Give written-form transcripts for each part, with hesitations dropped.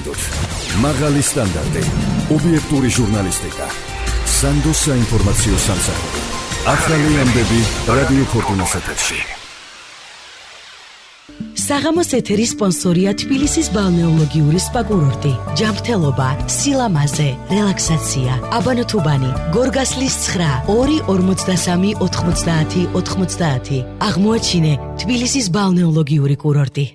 გაგზავნოთ. მაღალი სტანდარტი, ობიექტური ჟურნალისტიკა, სანდოს საინფორმაციო სამსახური. ახალი ამბები რადიო ფორტუნას ეთერში. საღამოს ეთერის სპონსორია თბილისის ბალნეოლოგიური სპა კურორტი. ჯანმრთელობა, სილამაზე, რელაქსაცია. აბანოთუბანი, გორგასლის 9 243 90 90. აღმოაჩინე თბილისის ბალნეოლოგიური კურორტი.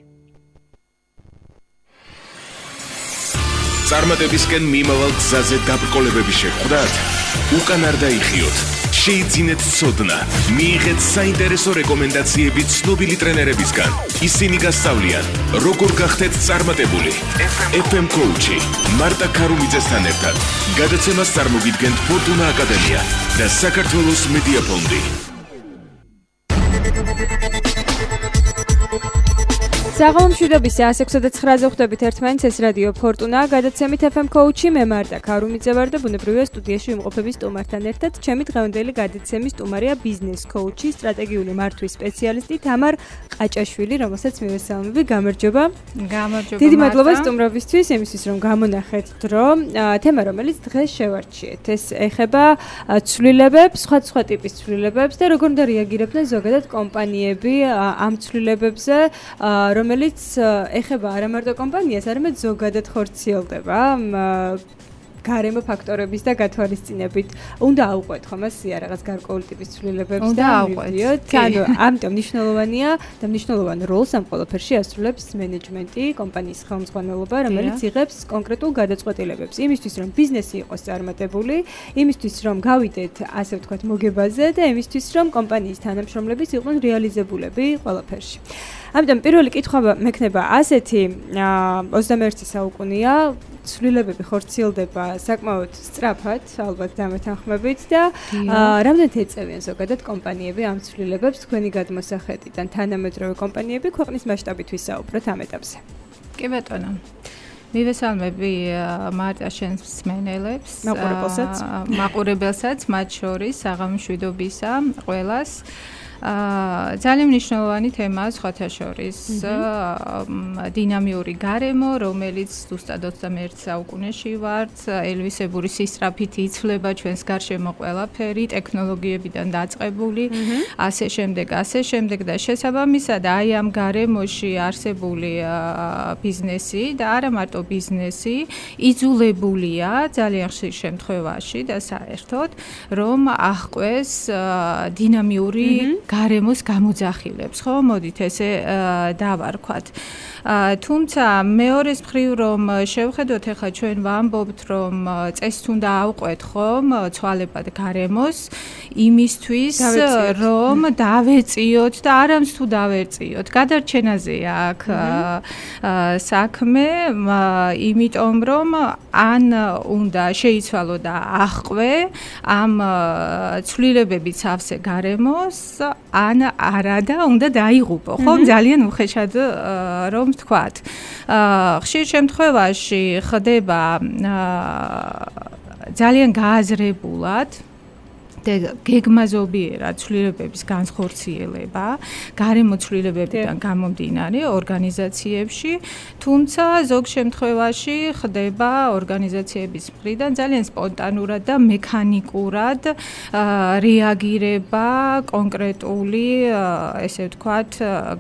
წარმატებისკენ მიმავალ გზაზე დაბრკოლებები შეხვდათ? უკან არ დაიხიოთ. შეიძინეთ ცოდნა, მიიღეთ საინტერესო რეკომენდაციები ცნობილი ტრენერებისგან. ისინი გასწავლიან, როგორ გახდეთ წარმატებული. FM Coach-ი მარტა ქარუმიძესთან ერთად. გადაცემას წარმოგიდგენთ ფორტუნა აკადემია და საქართველოს მედია ფონდი. საღამომშვიდობის 106.9-ზე ხვდებით ერთმანეთს, ეს რადიო ფორტუნა, გადაცემით FM Coach-ი, მე მარტა ქარუმიძე ვარ და ბუნებრივია სტუდიაში ვიმყოფები სტუმართან ერთად. ჩემი დღევანდელი გადაცემის სტუმარია ბიზნეს კოუჩი, სტრატეგიული მართვის სპეციალისტი თამარ ყაჭაშვილი, რომელსაც მივესალმები. გამარჯობა. გამარჯობა. დიდი მადლობა სტუმრობისთვის, იმისთვის რომ გამონახეთ დრო. თემა, რომელიც დღეს შევარჩიეთ, ეს ეხება ცვლილებებს, სხვა ტიპის ცვლილებებს და როგორ უნდა რეაგირებდნენ ზოგადად კომპანიები ამ ცვლილებებზე, რომელიც ეხება არა მარტო კომპანიას, არამედ ზოგადად ხორციელდება გარემო ფაქტორების და გათვალისწინებით. უნდა აუყვეთ ხომ ასია რაღაც გარკვეული ტიპის ცვლილებებს და მივიდიოთ. ანუ ამიტომ მნიშვნელოვანია და მნიშვნელოვან როლს ამ ყველაფერში ასრულებს მენეჯმენტი, კომპანიის ხელმძღვანელობა, რომელიც იღებს კონკრეტულ გადაწყვეტილებებს იმისთვის, რომ ბიზნესი იყოს წარმატებული, იმისთვის, რომ გავიდეთ, ასე ვთქვათ, მოგებაზე და იმისთვის, რომ კომპანიის თანამშრომლებიც იყვნენ რეალიზებულები ყველაფერში. ამიტომ პირველი კითხვა მექნება ასეთი, 21 საუკუნეა, ცვლილებები ხორციელდება საკმაოდ სწრაფად, ალბათ დამეთანხმებით და რამდენად ეწევიან ზოგადად კომპანიები ამ ცვლილებებს თქვენი გადმოსახედიდან, თანამედროვე კომპანიები ქვეყნის მასშტაბით ვისაუბროთ ამ ეტაპზე. კი ბატონო. მივესალმები მარტა შენს მსმენელებს, მაყურებელსაც, მათ შორის საღამომშვიდობისა ყველას. ძალიან მნიშვნელოვანი თემაა სხვათა შორის დინამიური გარემო, რომელიც ზუსტად 21 საუკუნეში ვართ, ელვისებური სისწრაფით იცვლება ჩვენს გარშემო ყველაფერი, ტექნოლოგიებიდან დაწყებული, ასე შემდეგ და შესაბამისად აი ამ გარემოში არსებული ბიზნესი და არა მარტო ბიზნესი იძულებულია ძალიან ხშირ შემთხვევაში და საერთოდ რომ აღყვეს დინამიური გარემოს გამოძახილებს, ხო? მოდით ესე დავარქვათ. თუმცა მეორეს მხრივ რომ შევხედოთ, ახლა ჩვენ ვამბობთ, რომ წესით უნდა ავყვეთ ხომ ცვალებად გარემოს იმისთვის, რომ დავეწიოთ და არამც თუ დავეწიოთ. გადარჩენაზეა აქ საქმე, იმიტომ რომ ან უნდა შეიცვალო და აღყვე ამ ცვლილებებით სავსე გარემოს, ან არა და უნდა დაიღუპო, ხომ? ძალიან უხეშად რომ ვთქვათ. ხშირ შემთხვევაში ხდება ძალიან გააზრებულად გეგმაზობიერად ცვლილებების განხორციელება, გარემო ცვლილებებიდან გამომდინარე ორგანიზაციებში, თუმცა ზოგ შემთხვევაში ხდება ორგანიზაციების მხრიდან ძალიან სპონტანურად და მექანიკურად რეაგირება კონკრეტული, ესე ვთქვათ,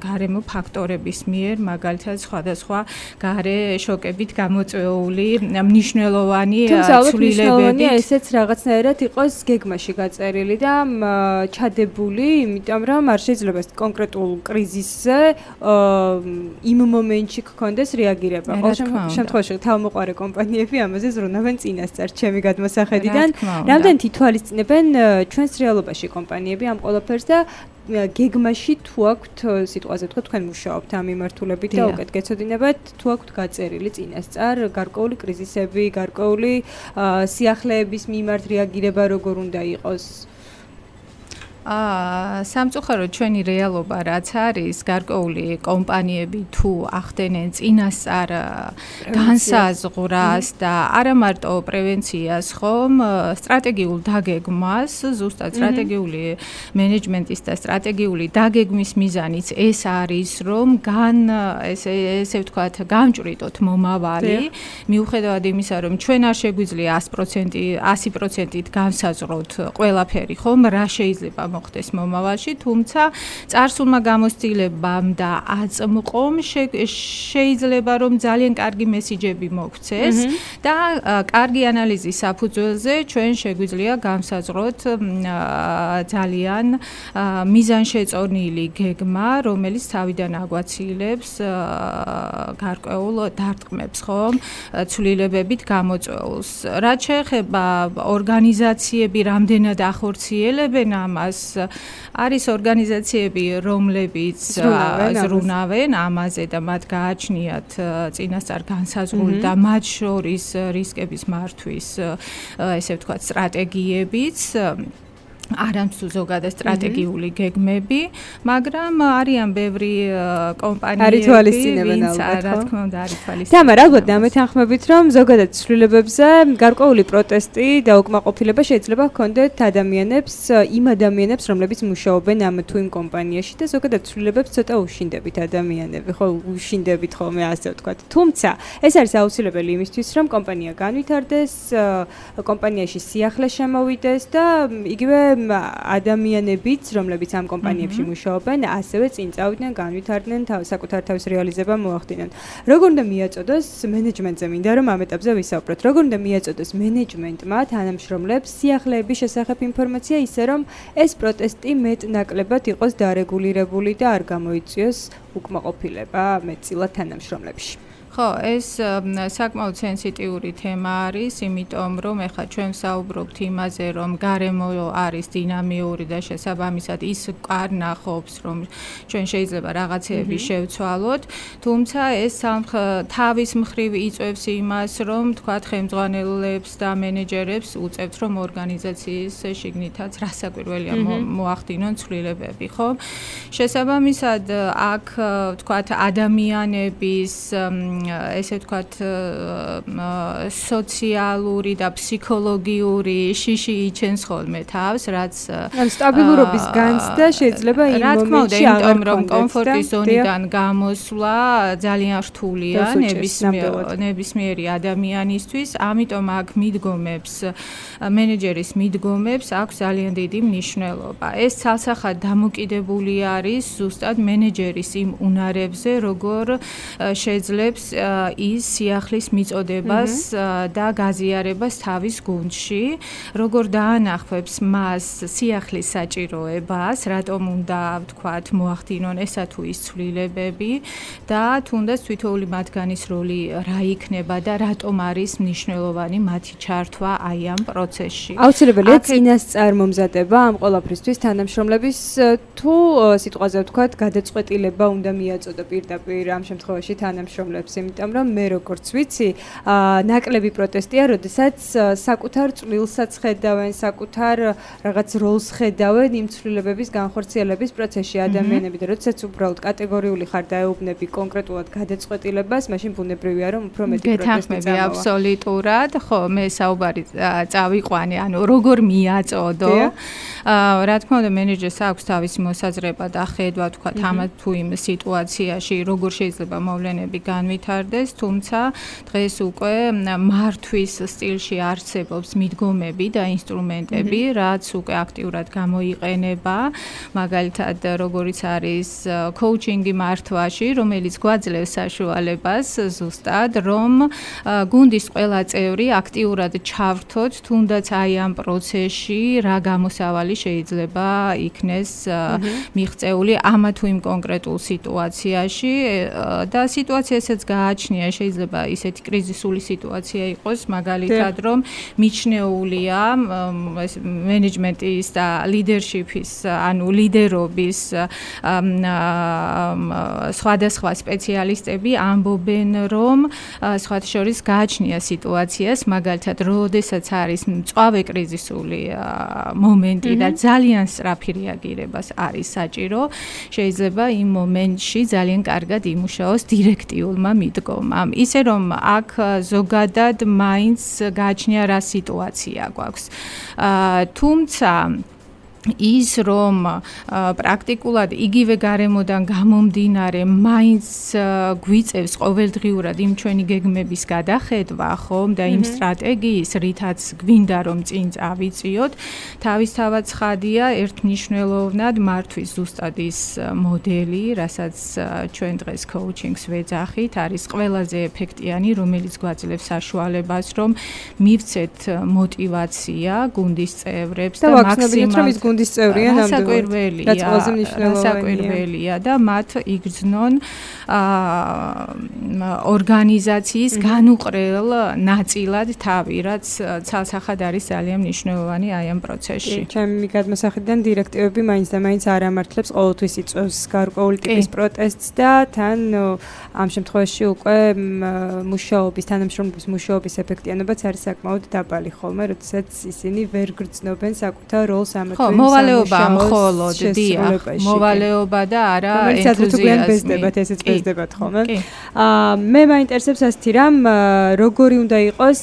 გარემო ფაქტორების მიერ, მაგალითად სხვადასხვა გარე შოკებით გამოწვეული მნიშვნელოვანი ცვლილებები. თუმცა მნიშვნელოვანია ესეც რაღაცნაირად იყოს გეგმაში წერილი და ჩადებული, იმიტომ რომ არ შეიძლება კონკრეტულ კრიზისზე იმ მომენტში გქონდეს რეაგირება. ყოველ შემთხვევაში თავმოყარე კომპანიები ამაზე ზრუნავენ წინასწარ ჩემი გადმოსახედიდან. რამდენად ითვალისწინებენ ჩვენს რეალობაში კომპანიები ამ ყველაფერს და გეგმაში თუ აქვთ სიტყვაზე თქვა თქვენ მუშაობთ ამ მიმართულებით და უკეთ გეცოდინებათ თუ აქვთ გაწერილი წინასწარ გარკვეული კრიზისები, გარკვეული სიახლეების მიმართ რეაგირება როგორ უნდა იყოს? სამწუხაროდ ჩვენი რეალობა რაც არის, გარკვეული კომპანიები თუ ახდენენ წინასწარ განსაზღვრას და არა მარტო პრევენციას, ხომ, სტრატეგიულ დაგეგმას, ზუსტად სტრატეგიული მენეჯმენტის და სტრატეგიული დაგეგმის მიზანიც ეს არის, რომ ესე ვთქვათ, გამჭვრიტოთ მომავალი, მიუხედავად იმისა, რომ ჩვენ არ შეგვიძლია 100%-ით განსაზღვროთ ყველაფერი, ხომ, რა შეიძლება მოხდეს მომავალში, თუმცა წარსულმა გამოცდილებამ და აწმყომ შეიძლება რომ ძალიან კარგი მესიჯები მოგვცეს და კარგი ანალიზის საფუძველზე ჩვენ შეგვიძლია განსაზღვროთ ძალიან მიზანშეწონილი გეგმა, რომელიც თავიდან აგვაცილებს გარკვეულ დარტყმებს, ხომ, ცვლილებებით გამოწვეულს. რაც შეეხება ორგანიზაციები რამდენად ახორციელებენ ამას, არის ორგანიზაციები, რომლებიც ზრუნავენ ამაზე და მათ გააჩნიათ წინასწარ განსაზღვრული და მათ შორის რისკების მართვის, ესე ვთქვათ, სტრატეგიებიც, არამსუ ზოგადად სტრატეგიული გეგმები, მაგრამ არიან ბევრი კომპანიები, ვინც რა თქმა უნდა არის თვალისწინებენ. თამარ, ალბათ დამეთანხმებით, რომ ზოგადად ცვლილებებზე გარკვეული პროტესტი და უკმაყოფილება შეიძლება ჰქონდეთ იმ ადამიანებს, რომლებიც მუშაობენ ამ თუ იმ კომპანიაში და ზოგადად ცვლილებებს ცოტა უშინდებით ადამიანები, ხო, უშინდებით ხოლმე ასე ვთქვათ. თუმცა, ეს არის აუცილებელი იმისთვის, რომ კომპანია განვითარდეს, კომპანიაში სიახლე შემოვიდეს და იგივე ადამიანებიც, რომლებიც ამ კომპანიებში მუშაობენ, ასევე წინ წავიდნენ, განვითარდნენ, საკუთარ თავის რეალიზება მოახდინონ. როგორ უნდა მიაწოდოს მენეჯმენტზე, მინდა რომ ამ ეტაპზე ვისაუბროთ. როგორ უნდა მიაწოდოს მენეჯმენტმა თანამშრომლებს სიახლეების შესახებ ინფორმაცია, ისე რომ ეს პროტესტი მეტ-ნაკლებად იყოს დარეგულირებული და არ გამოიწვიოს უკმაყოფილება მეტწილად თანამშრომლებში. ხო, ეს საკმაოდ სენსიტიური თემა არის, იმიტომ რომ ეხლა ჩვენ ვსაუბრობთ იმაზე, რომ გარემო არის დინამიური და შესაბამისად ის კარნახობს, რომ ჩვენ შეიძლება რაღაცეები შევცვალოთ, თუმცა ეს თავის მხრივ იწვევს იმას, რომ თქვათ ხელმძღვანელებს და მენეჯერებს უწევთ, რომ ორგანიზაციის შიგნითაც რასაკვირველია მოახდინონ ცვლილებები, ხო? შესაბამისად, აქ თქვათ ადამიანების ესე ვთქვათ სოციალური და ფსიქოლოგიური შიში იჩენს ხოლმე თავს, რაც სტაბილურობის განცდა შეიძლება იმ მომენტში აღარ რომ კომფორტის ზონიდან გამოსვლა ძალიან რთულია ნებისმიერი ადამიანისთვის, ამიტომ აქ მიდგომებს მენეჯერის მიდგომებს აქვს ძალიან დიდი მნიშვნელობა. ეს ცალსახად დამოკიდებული არის ზუსტად მენეჯერის იმ უნარებზე, როგორ შეძლებს ის სიახლის მიწოდებას და გაზიარებას თავის გუნდში, როგორ დაანახებს მას სიახლის საჭიროებას, რატომ უნდა ვთქვათ მოახდინონ ესა თუ ის ცვლილებები და თუნდაც თითოეული მათგანის როლი რა იქნება და რატომ არის მნიშვნელოვანი მათი ჩართვა აი ამ პროცესში. აუცილებელია წინასწარ მომზადება ამ ყველაფრისთვის თანამშრომლების თუ სიტყვაზე ვთქვათ გადაწყვეტილება უნდა მიაწოდო პირდაპირ ამ შემთხვევაში თანამშრომლებს, იმიტომ რომ მე როგორც ვიცი, ნაკლები პროტესტია, როდესაც საკუთარ წვლილსაც ხედავენ, საკუთარ რაღაც როლს ხედავენ იმ ცვლილებების განხორციელების პროცესში ადამიანები და როდესაც უბრალოდ კატეგორიული ხარ დაეუბნები კონკრეტულად გადაწყვეტილებას, მაშინ ბუნებრივია რომ უფრო მეტი პროტესტი გეთანხმები აბსოლუტურად, ხო, მე საუბარი წავიყვანე, ანუ როგორ მიაწოდო. რა თქმა უნდა, მენეჯერს აქვს თავისი მოსაზრება და ხედვა, თქვა, ამ თუ იმ სიტუაციაში როგორ შეიძლება მოვლენები განვითარდეს, თუმცა დღეს უკვე მართვის სტილში არსებობს მიდგომები და ინსტრუმენტები, რაც უკვე აქტიურად გამოიყენება, მაგალითად, როგორიც არის კოუჩინგი მართვაში, რომელიც გვაძლევს საშუალებას ზუსტად, რომ გუნდის ყველა წევრი აქტიურად ჩავრთოთ, თუნდაც აი ამ პროცესში რა გამოსავალი შეიძლება იქნეს მიღწეული ამა თუ იმ კონკრეტულ სიტუაციაში და სიტუაცია ესეც გააჩნია, შეიძლება ისეთი კრიზისული სიტუაცია იყოს, მაგალითად, რომ მიჩნეულია ეს მენეჯმენტის და ლიდერშიპის, ანუ ლიდერობის სხვადასხვა სპეციალისტები ამბობენ, რომ სხვათა შორის გააჩნია სიტუაციას, მაგალითად, როდესაც არის მწვავე კრიზისული მომენტი და ძალიან სწრაფი რეაგირებას არის საჭირო, შეიძლება იმ მომენტში ძალიან კარგად იმუშაოს დირექტიულმა მიდგომამ. ისე რომ აქ ზოგადად მაინც გააჩნია რა სიტუაცია გვაქვს. თუმცა ის რომ პრაქტიკულად იგივე გარემოდან გამომდინარე მაინც გვიწევს ყოველდღიურად იმ ჩვენი გეგმების გადახედვა, ხომ და იმ სტრატეგიის, რითაც გვინდა რომ წინ წავიწიოთ, თავისთავად ცხადია ერთმნიშვნელოვნად მართვის ზუსტად ის მოდელი, რასაც ჩვენ დღეს coaching-ს ვეძახით, არის ყველაზე ეფექტიანი, რომელიც გვაძლევს საშუალებას, რომ მივცეთ მოტივაცია გუნდის წევრებს და მაქსიმალურად რასაკვირველია და მათ იგრძნონ ორგანიზაციის განუყრელ ნაწილად თავი, რაც ცალსახად არის ძალიან მნიშვნელოვანი აი ამ პროცესში. ჩემი გადმოსახედიდან დირექტივები მაინც და მაინც არ ამართლებს ყოველთვის იწვევს გარკვეული ტიპის პროტესტს და თან ამ შემთხვევაში უკვე თანამშრომლობის მუშაობის ეფექტიანობაც არის საკმაოდ დაბალი ხოლმე, როდესაც ისინი ვერ გრძნობენ საკუთარ როლს ამათვე მოვალეობა მხოლოდ მოვალეობა და არა ენთუზიაზმი. ესეც ბეზდებათ ხოლმე. მე მაინტერესებს ასეთი რამ, როგორი უნდა იყოს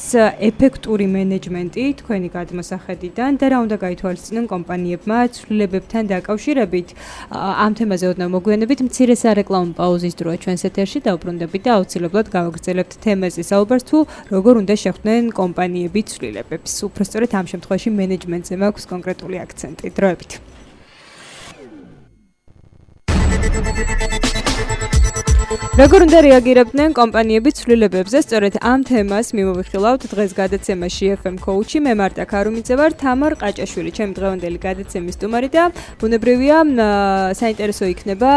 ეფექტური მენეჯმენტი თქვენი გადმოსახედიდან და რა უნდა გაითვალისწინონ კომპანიებმა ცვლილებებთან დაკავშირებით. ამ თემაზე ოდნავ მოგვიანებით მცირე სარეკლამო პაუზის დროა ჩვენს ეთერში და უბრუნდებით და აუცილებლად გავაგრძელებთ თემაზე საუბარს თუ როგორ უნდა შეხვდნენ კომპანიები ცვლილებებს. უпростоრეთ ამ შემთხვევაში მენეჯმენტზე მაქვს კონკრეტული აქცენტი. დროებით. როგორ უნდა რეაგირებდნენ კომპანიები ცვლილებებზე? სწორედ ამ თემას მიმოვიხილავთ დღეს გადაცემაში FM Coach-ი. მე მარტა ქარუმიძე ვარ, თამარ ყაჭაშვილი ჩემი დღევანდელი გადაცემის სტუმარი და ბუნებრივია საინტერესო იქნება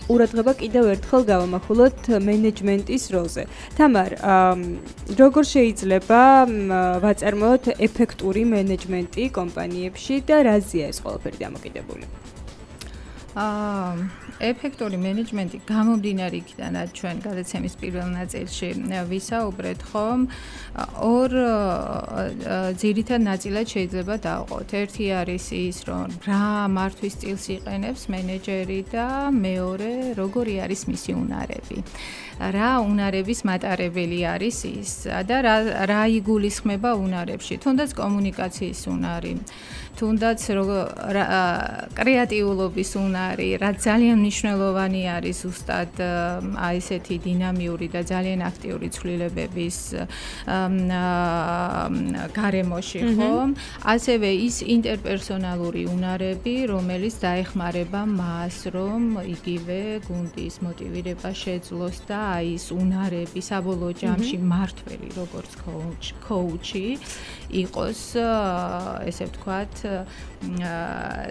ყურადღება კიდევ ერთხელ გავამახვილოთ მენეჯმენტის როლზე. თამარ, როგორ შეიძლება ვაწარმოოთ ეფექტური მენეჯმენტი კომპანიებში და რაზეა ეს ყველაფერი დამოკიდებული? ეფექტური მენეჯმენტი გამომდინარე იქიდან ჩვენ გადაცემის პირველ ნაწილში ვისაუბრეთ, ხომ ორ ძირითად ნაწილად შეიძლება დავყოთ. ერთი არის ის, რომ რა მართვის სტილს იყენებს მენეჯერი და მეორე როგორი არის მისი უნარები. რა უნარების მატარებელი არის ის და რა იგულისხმება უნარებში, თუნდაც კომუნიკაციის უნარი, თუნდაც კრეატიულობის უნარი, რაც ძალიან მნიშვნელოვანი არის ზუსტად აი ესეთი დინამიური და ძალიან აქტიური ცვლილებების გარემოში, ხო? ასევე ის ინტერპერსონალური უნარები, რომელიც დაეხმარება მას, რომ იგივე გუნდის მოტივირება შეძლოს და აი ეს უნარები საბოლოო ჯამში მართველი როგორც coach-ი იყოს, ესე ვთქვათ,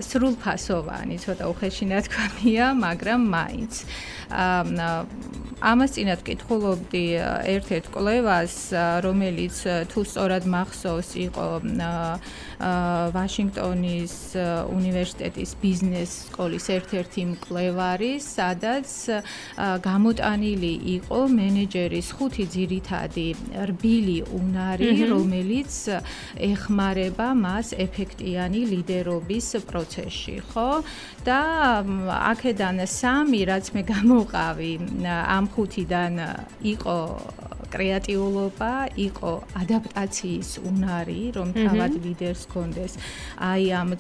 სრულფასოვანი, ცოტა უხეში ნათქვამია, მაგრამ მაინც. ამას წინათ ვკითხულობდი ერთ-ერთ კვლევას, რომელიც თუ სწორად მახსოვს, იყო ვაშინგტონის უნივერსიტეტის ბიზნეს სკოლის ერთ-ერთი მკვლევარი, სადაც გამოტანილი იყო მენეჯერის 5 ძირითადი რბილი უნარი, რომელიც ეხმარება მას ეფექტიანი ლიდერობის პროცესში, ხო? და აქედან 3, რაც მე გამოვყავი ამ 5-დან იყო კრეატიულობა, იყო ადაპტაციის უნარი, რომ თავად ლიდერს კონდეს აი ამ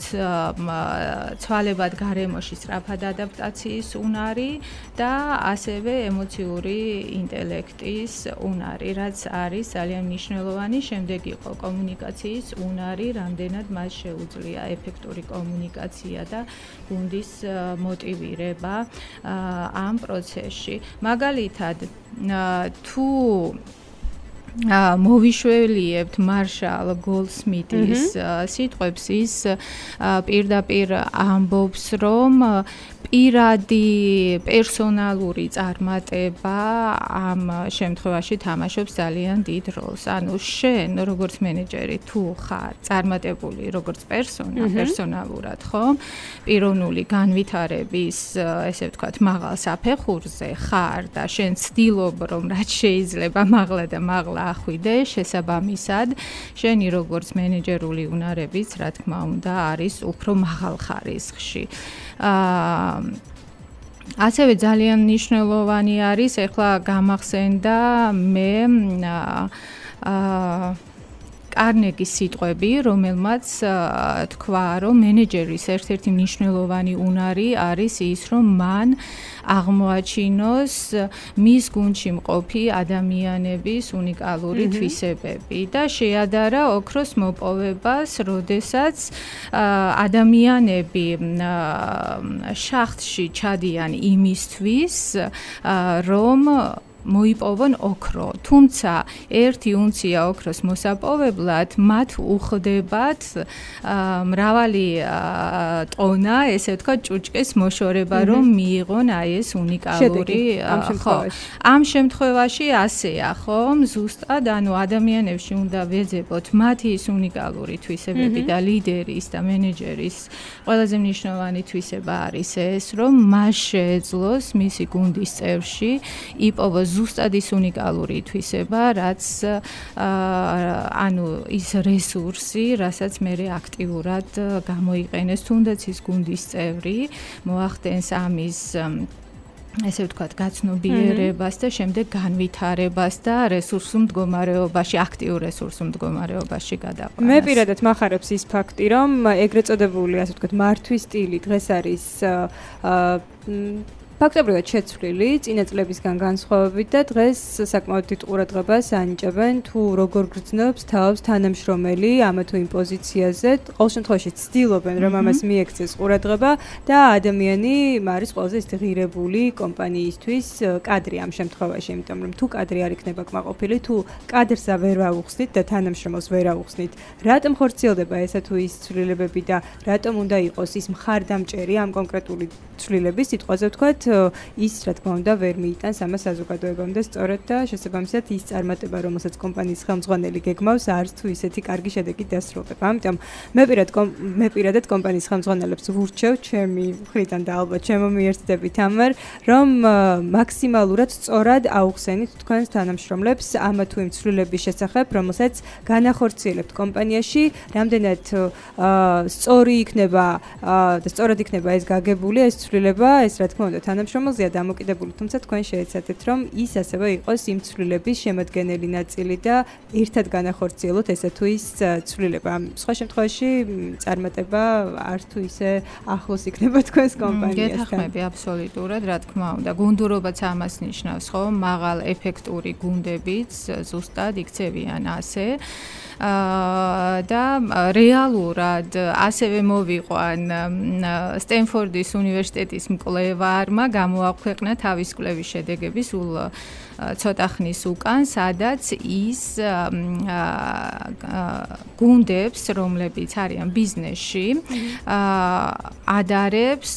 ცვალებად გარემოში სწრაფად ადაპტაციის უნარი და ასევე ემოციური ინტელექტის უნარი, რაც არის ძალიან მნიშვნელოვანი. შემდეგ იყო კომუნიკაციის უნარი, რამდენად მას შეუძლია ეფექტური კომუნიკაცია და გუნდის მოტივირება ამ პროცესში. მაგალითად, თუ მოვიშველიებთ მარშალ გოლდსმიტის სიტყვებს, ის პირდაპირ ამბობს, რომ პირადი პერსონალური წარმატება ამ შემთხვევაში თამაშობს ძალიან დიდ როლს. ანუ შენ როგორც მენეჯერი თუ ხარ წარმატებული როგორც პერსონალურად, ხო? პიროვნული განვითარების, ესე ვთქვათ, მაღალ საფეხურზე ხარ და შენ ცდილობ, რომ რაც შეიძლება მაღლა და მაღლა ახვიდე, შესაბამისად, შენი როგორც მენეჯერული უნარებიც, რა თქმა უნდა, არის უფრო მაღალ ხარისხში. ასევე ძალიან მნიშვნელოვანი არის, ეხლა გამახსენდა მე კარნეგის სიტყვები, რომელმაც თქვა, რომ მენეჯერის ერთ-ერთი მნიშვნელოვანი უნარი არის ის, რომ მან აღმოაჩინოს მის გუნდში მყოფი ადამიანების უნიკალური თვისებები და შეადარა ოქროს მოპოვებას, როდესაც ადამიანები შახტში ჩადიან იმისთვის, რომ მოიპოვონ ოქრო, თუმცა 1 უნცია ოქროს მოსაპოვებლად მათ უხდებათ მრავალი ტონა, ესე ვთქვათ, ჭუჭკის მოშორება, რომ მიიღონ აი ეს უნიკალური ამ შემთხვევაში ასეა, ხო? ზუსტად, ანუ ადამიანებში უნდა ვეძებოთ მათი ის უნიკალური თვისებები და ლიდერის და მენეჯერის ყველაზე მნიშვნელოვანი თვისება არის ეს, რომ მას შეეძლოს მისი გუნდის წევრში იპოვოს ზუსტად ის უნიკალური თვისება, რაც ანუ ის რესურსი, რასაც მე აქტიურად გამოიყენეს, თუნდაც ის გუნდის წევრი მოახდენს ამის ესე ვთქვათ, გაცნობიერებას და შემდეგ განვითარებას და რესურსულ მდგომარეობაში, აქტიურ რესურსულ მდგომარეობაში გადაყვანას. მე პირადად მახარებს ის ფაქტი, რომ ეგრეთ წოდებული, ასე ვთქვათ, მართვის სტილი დღეს არის ფაქტობრივად შეცვლილი წინა წლებისგან განსხვავებით და დღეს საკმაოდ დიდ ყურადღებას ანიჭებენ თუ როგორ გრძნობს თავს თანამშრომელი ამა თუ იმ პოზიციაზე. ყოველ შემთხვევაში ცდილობენ, რომ ამას მიექცეს ყურადღება და ადამიანი არის ყველაზე ისეთი ღირებული კომპანიისთვის კადრი ამ შემთხვევაში, იმიტომ რომ თუ კადრი არ იქნება კმაყოფილი, თუ კადრს ვერ ავუხსნით და თანამშრომელს ვერ ავუხსნით, რატომ ხორციელდება ესა თუ ის ცვლილებები და რატომ უნდა იყოს ის მხარდამჭერი ამ კონკრეტული ცვლილების სიტყვაზე ვთქვათ, ის რა თქმა უნდა ვერ მიიტანს ამას საზოგადოებამდე სწორედ და შესაბამისად ის წარმატება, რომელსაც კომპანიის ხელმძღვანელი გეგმავს, არც თუ ისეთი კარგი შედეგი დასრულდება. ამიტომ მე პირადად კომპანიის ხელმძღვანელებს ვურჩევ ჩემი მხრიდან და ალბათ ჩემო მიერთდებით ამერ, რომ მაქსიმალურად სწორად აუხსენით თქვენს თანამშრომლებს ამა თუ იმ ცვლილების შესახებ, რომელსაც განახორციელებთ კომპანიაში, რამდენად სწორი იქნება და სწორად იქნება ეს გაგებული, ეს ცვლილება, ეს რა თქმა უნდა თანამშრომელზეა დამოკიდებული, თუმცა თქვენ შეეცადეთ, რომ ის ასევე იყოს იმ ცვლილების შემადგენელი ნაწილი და ერთად განახორციელოთ ესა თუ ის ცვლილება. სხვა შემთხვევაში წარმატება არ თუ ისე ახლოს იქნება თქვენს კომპანიასთან. გეთახმები აბსოლუტურად, რა თქმა უნდა. გუნდურობაც ამას ნიშნავს, ხო? მაღალ ეფექტური გუნდებიც ზუსტად იქცევიან ასე. და რეალურად ასევე მოვიყვან სტენფორდის უნივერსიტეტის მკვლევარმა გამოაქვეყნა თავის კვლევის შედეგები სულ ცოტა ხნის უკან, სადაც ის გუნდებს, რომლებიც არიან ბიზნესში, ადარებს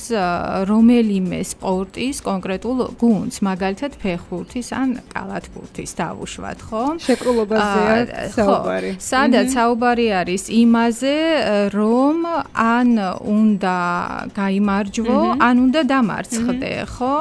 რომელიმე სპორტის კონკრეტულ გუნდს, მაგალითად ფეხბურთის ან კალათბურთის დავუშვათ, ხო? შეკრულებაზეა საუბარი. სადაც საუბარი არის იმაზე, რომ ან უნდა გაიმარჯვო, ან უნდა დამარცხდე, ხო?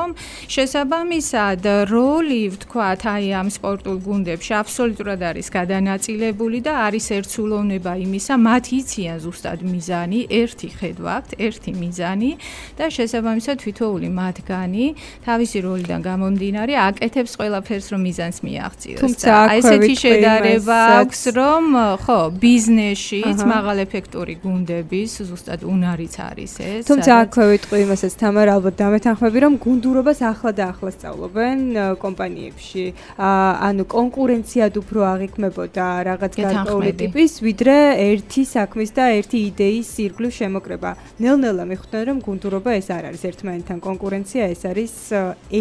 შესაბამისად, როლი ვთქვათ, აი ამ სპორტულ გუნდებში აბსოლუტურად არის გადანაწილებული და არის ერთსულოვნება იმისა, მათ იციან ზუსტად მიზანი, ერთი ხედვა აქვთ, ერთი მიზანი და შესაბამისად თითოეული მათგანი თავისი როლიდან გამომდინარე აკეთებს ყველაფერს, რომ მიზანს მიაღწიოს. თუმცა ესეთი შედარება აქვს, რომ ხო, ბიზნესშიც მაღალ ეფექტური გუნდების ზუსტად უნარიც არის ეს. თუმცა აქვე ვიტყვი იმასაც თამარ, ალბათ დამეთანხმები, რომ გუნდურობას ახლა და ახლა სწავლობენ კომპანიებში. ანუ კონკურენციად უფრო აღიქმებოდა რაღაც გარკვეული ტიპის, ვიდრე ერთი საქმის და ერთი იდეის ირგვლივ შემოკრება. ნელ-ნელა მიხვდნენ, რომ გუნდურობა ეს არ არის ერთმანეთთან კონკურენცია, ეს არის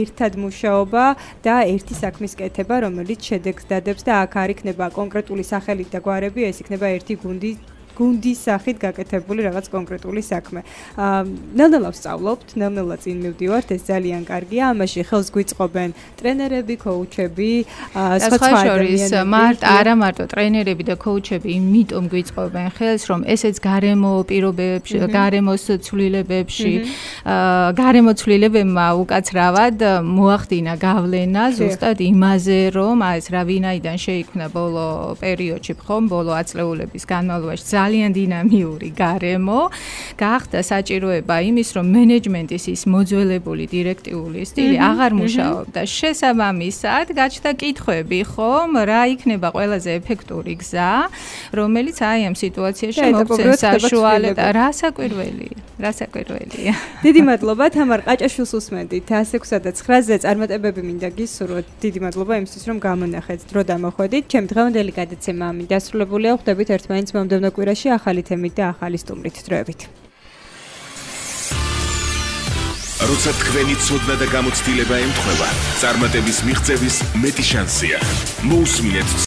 ერთად მუშაობა და ერთი საქმის კეთება, რომელიც შედეგს დადებს და აქ არ იქნება კონკრეტული სახელით და გვარები, ეს იქნება ერთი გუნდი გუნდის სახით გაკეთებული რაღაც კონკრეტული საქმე. ნელ-ნელა ვსწავლობთ, ნელ-ნელა წინ მივდივართ, ეს ძალიან კარგია. ამაში ხელს გვიწყობენ ტრენერები, კოუჩები, სხვა ადამიანები. არა მარტო ტრენერები და კოუჩები, იმიტომ გვიწყობენ ხელს, რომ ესეც გარემო პირობებში, გარემოს ცვლილებებში, გარემო ცვლილებებმა უკაცრავად მოახდინა გავლენა ზუსტად იმაზე, რომ ეს რა ვინაიდან შეიქმნა ბოლო პერიოდში, ხომ, ბოლო ათწლეულების განმავლობაში ძალიან დინამიური გარემო, გახდა საჭიროება იმის, რომ მენეჯმენტის ის მოძველებული დირექტიული სტილი აღარ მუშაობდა. შესაბამისად, გაჩნდა კითხვები, ხომ, რა იქნება ყველაზე ეფექტური გზა, რომელიც აი ამ სიტუაციაში მოგცემს საშუალებას. რა საკვირველია. დიდი მადლობა თამარ ყაჭაშვილს უსმენდით 106 და 9-ზე წარმატებები მინდა გისურვოთ. დიდი მადლობა იმისთვის, რომ გამონახეთ, დრო დამოხვედით. ჩემი დღევანდელი გადაცემა ამით დასრულებულია. ხვდებით ერთმანეთს მომდევნო კვირაში ახალი თემით და ახალი სტუმრით. დროებით. როცა თქვენი ცოდნა და გამოცდილება ემთხვევა, წარმატების მიღწევის მეტი შანსია. მოусმინეთ